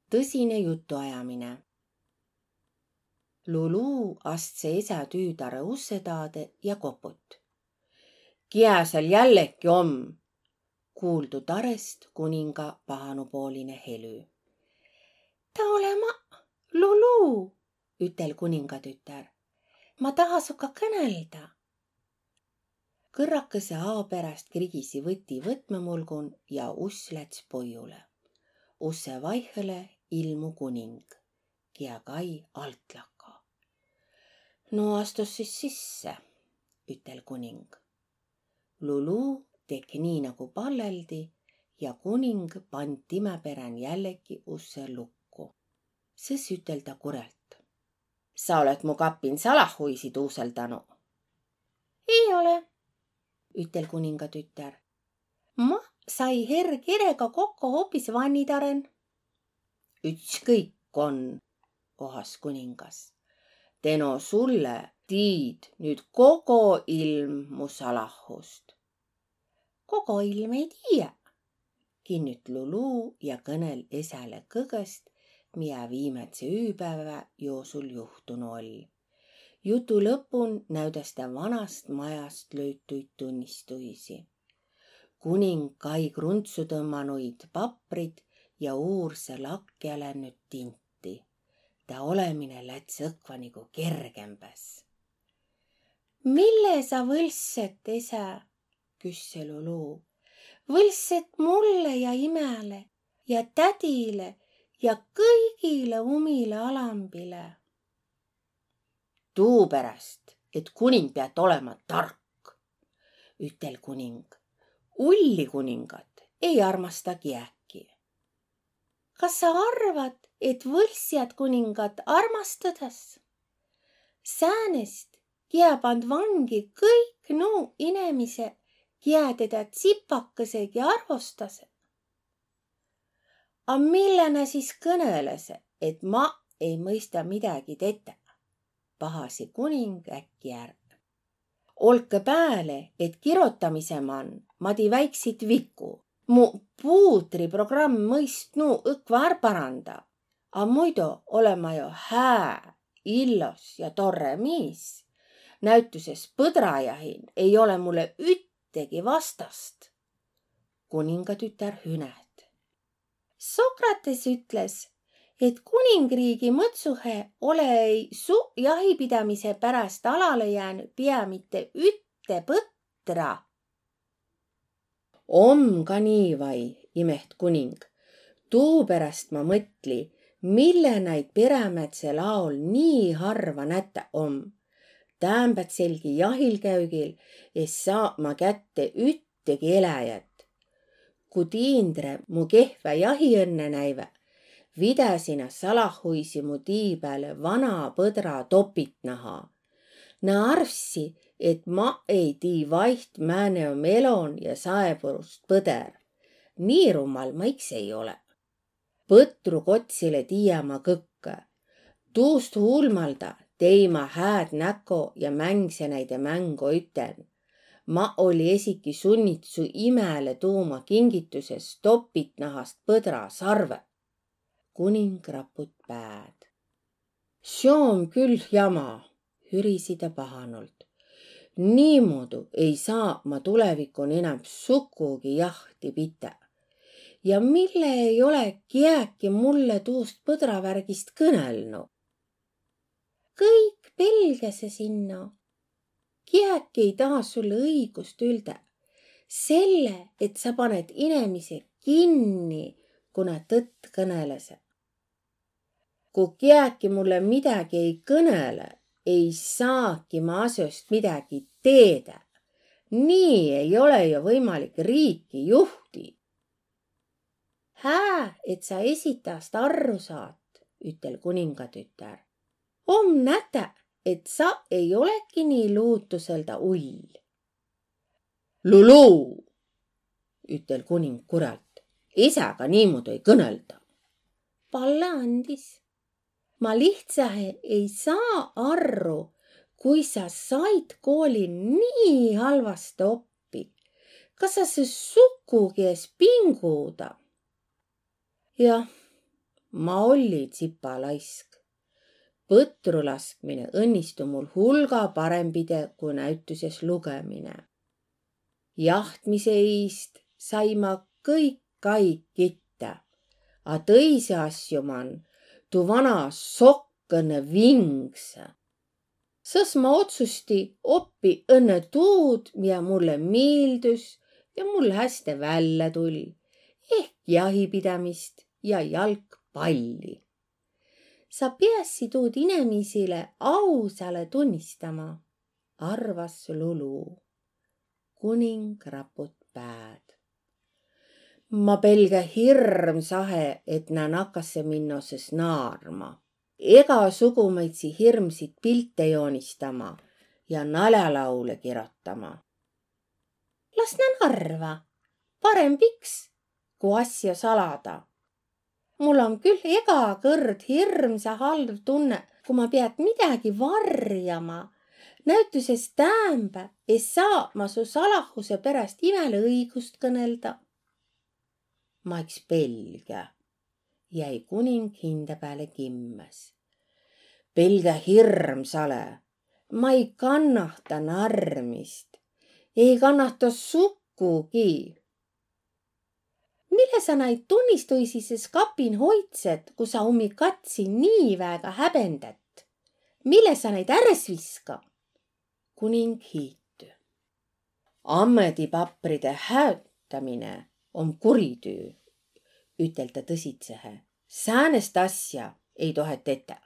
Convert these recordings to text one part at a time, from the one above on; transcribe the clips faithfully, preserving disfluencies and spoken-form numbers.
Tõsine jutuajamine. Lulu astse esä tüütarõ usse taadõ ja koput. Kiä sääl jälleki om? Kuuldu tarõst kuninga pahanupooline helü. Ta ole ma, Lulu, ütel kuningatütär. Ma taha suga kõnelda. Kõrrakõse ao peräst krigisi võti võtmamulgun ja uss läts poigulõ. Usse vaihõlõ ilmu kuning, kiä kai altlahko. No astus sis sisse, ütel kuning. Lulu tekk' nii nagu palleldi ja kuning pand timä perän jälleki usse lukku. Sõs ütel ta kurjalt. Sa olet mu kappin salahuisi tuuseldanu. Ei ole, ütel kuningatütär. Ma sai herr Kerega kokko hoopis vannidaren. Ütskõik on, ohas kuningas. Teno sulle tiid nüüd kogo ilm mu salahust. Kogo ilm ei tiiä, kinnüt Lulu ja kõnel esäle kõgõst, miä viimädse üüpäivä joosul juhtunu oll. Jutu lõpun näüdäs tä vanast majast löütuid tunnistuisi. Kuning kai kruntsutõmmanuid paprit ja uursõ lakja lännüt tinti. Tä olemine läts õkva nigu kergembäs. Mille sa võlsset, esä? Küsse Lulu. Võlsset mulle ja imäle ja tädile ja kõigile umile alambile. Tuuperäst, et kuning piät olema tark, ütel kuning. Ulli kuningat ei armasta kiäki. Kas sa arvat, et võlssjat kuningat armastõdas? Säänest, kiä pand vangi kõik nuu inemise, kiä tedä tsipakõsegi arvostase. A mille nä sis kõnõlase, et ma ei mõista midägi tetä? Pahasi kuning äkki är. Olkõ pääle, et kirotamisõ man ma tii väiksit vigu. Mu puutriprogramm mõist nuu õkva är paranda. A muido ole ma jo hää, illos ja torre miis. Näütüses põdrajahin ei ole mulle üttegi vastast. Kuningatütär hünät. Sokrates ütles, et kuningriigi mõtsuhe ole-i su jahipidämise pärast alalõ jäänü pia mitte ütte põtra. Om ka nii vai, imeht kuning. Tuuperäst ma mõtli, mille naid perämädsel aol nii harva nätä om. Täämbädselgi jahilkäügil es saa ma kätte üttegi eläjät. Ku tiindre mu kehvä jahiõnne näivä, vidäsi nä salahuisi mu tii pääle vana põdra topitnaha. Nä arvssi, et ma ei tii vaiht, määne om elon ja saeburust põder. Nii rummal ma iks ei ole. Põtru kotsilõ tiiä ma kõkkõ. Tuust huulmalda tei ma hääd näko ja mängse näide mängo üten. Ma olli esiki sunnit su imäle tuuma kingitüses topitnahast põdra sarvõ. Kuning raput pääd. Seo om külh jama, hürisi tä pahanult. Niimuudu ei saa ma tulevikun enämb sukugi jahti pitä. Ja mille ei ole kiäki mulle tuust põdravärgist kõnelnu? Kõik pelgäse sinno. Kiäki ei taha sulle õigust üldä. Selle, et sa paned inemise kinni, kuna tõtt kõnelese. Ku kiäki mulle midägi ei kõnele, ei saaki ma asjast midägi teedä. Nii ei ole jo võimalik riiki juhti. Hää, et sa esi tast arru saat, ütel kuningatütär. Om nätä, et sa ei olegi nii luutusõlda ull. Lulu! Ütel kuning kurjalt. Isäga niimuudu ei kõnelda. Palle andis. Ma lihtsähe ei saa arru, kui sa sait koolin nii halvastõ oppi. Kas sa sis sukugi es pinguda? Jah, Ma olli tsipa laisk. Põtrulaskmine õnnistu mul hulga parembide ku näütüses lugõmine. Jahtmise iist sai ma kõik aig kittá, a tõisi asju man tu vana sokkõnõ vingse. Sõs ma otsusti oppi õnnõ tuud, mia mulle miildüs ja mul häste vällä tull, ehk jahipidämist ja jalgpalli. Sa piässi tuud inemisile ausalõ tunnistama, arvas Lulu. Kuning raput pääd. Ma pelgä hirmsahe, et nä nakasse minno sõs naarma. Egasugumaidsi hirmsit pilte joonistama ja naljalaule kirotama. Las nä narva, paremb iks, ku asja salada. Mul om küll ega kõrd hirmsa halv tunne, ku ma piat midägi varjama. Näütüses täämbä es saa ma su salahuse peräst imäle õigust kõnelda. Ma iks pelgä, jäi kuning hindä pääle kimmäs. Pelgä hirmsale, ma ei kannahta narmist, ei kannahta sukugi. Mille sa naid tunnistuisi sis kapin hoidsed, ku sa ummi katsi nii väega häbendät? Mille sa naid ärräs viska? Kuning hiitü. Ammedipapride häötämine om kuritüü, ütel tä tõsitsehe. Säänest asja ei tohe tetä.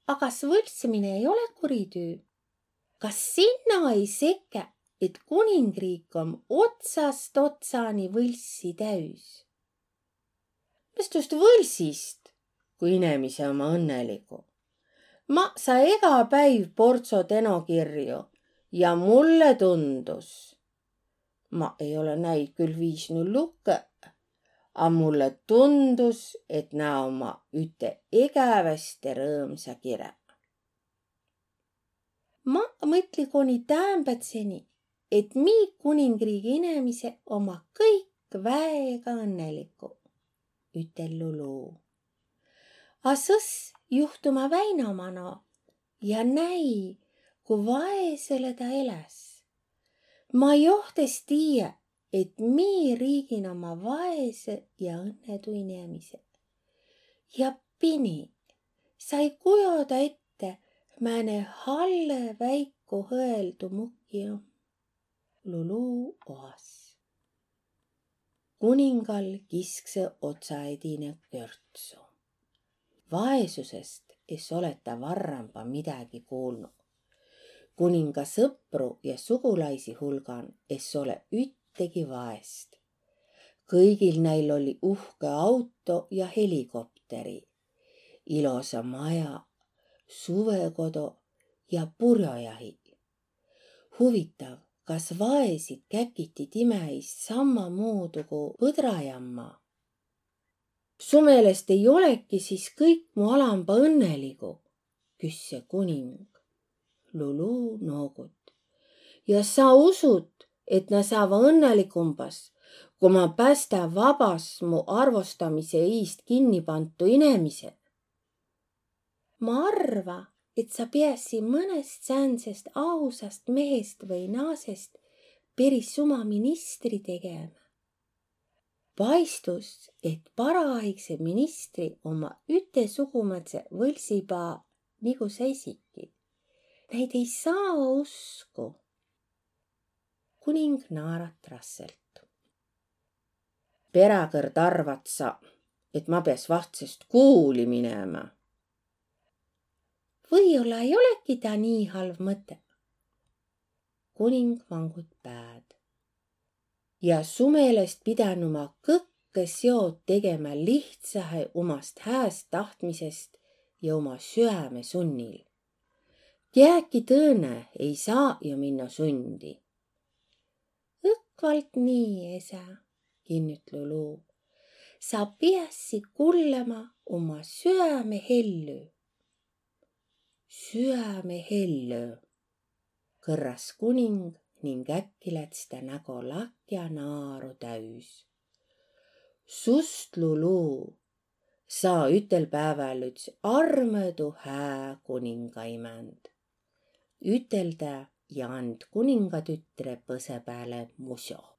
A kas võlssimine ei ole kuritüü? Kas sinna ei sekä, et kuningriik om otsast otsani võlssi täüs? Mis tust võlsist, ku inemise omma õnneligu? Ma saa ega päiv portso tenokirju ja mulle tundus, ma ei ole näid küll viisnu lukõ, a mulle tundus, et nä omma üte egäväste rõõmsa kirä. Ma mõtli koni täämbädseni, et mi kuningriigi inemise omma kõik väega õnneligu, ütel Lulu. A sõs juhtuma Väino mano ja näi, ku vaesõlõ ta eläs. Ma joht es tiiä, et mi riigin omma vaesõ ja õnnetu inemise. Ja pini, sa ei kujoda ette, määne hallõ väiku hõeldu muki om. Lulu oas. Kuningal kisksõ otsa edine körtsu. Vaesusest es ole ta varramba midägi kuulnu. Kuninga sõpru ja sugulaisi hulgan es ole üttegi vaest. Kõigil näil oli uhke auto ja helikopteri, ilosa maja, suvekodo ja purjojahi. Huvitav, kas vaesit käkiti timä iist sammamuudu ku põdrajamma? Su meelest ei olegi sis kõik mu alamba õnneligu? Küsse kuning. Lulu noogut. Ja sa usut, et nä saava õnneligumbas, ku ma pästä vabas mu arvostamise iist kinni pantu inemise? Ma arva, et sa piässi mõnest säändsest ausast mehest või naasest peris uma ministri tegema. Paistus, et paraaigse ministri omma ütesugumadse võlsipaa nigu sa esiki. Näid ei saa usku. Kuning naarat rasselt. Peräkõrd arvat sa, et ma piäs vahtsest kuuli minema? Või-olla ei olegi ta nii halv mõte. Kuning vangut pääd. Ja su meelest pidänü ma kõkke seod tegema lihtsahe umast hääst tahtmisest ja uma süäme sunnil. Kiäki tõõnõ ei saa jo minno sundi. Õkvalt nii, esä, kinnüt Lulu. Sa piässi kullama uma süäme hellü. Süäme hellü, kõrras kuning ning äkki läts tä nägo lakja naaru täüs. Sust, Lulu, Saa ütel päeväl üts armõdu hää kuningaimänd, üteldä ja and kuningatütre põsõ pääle musjo.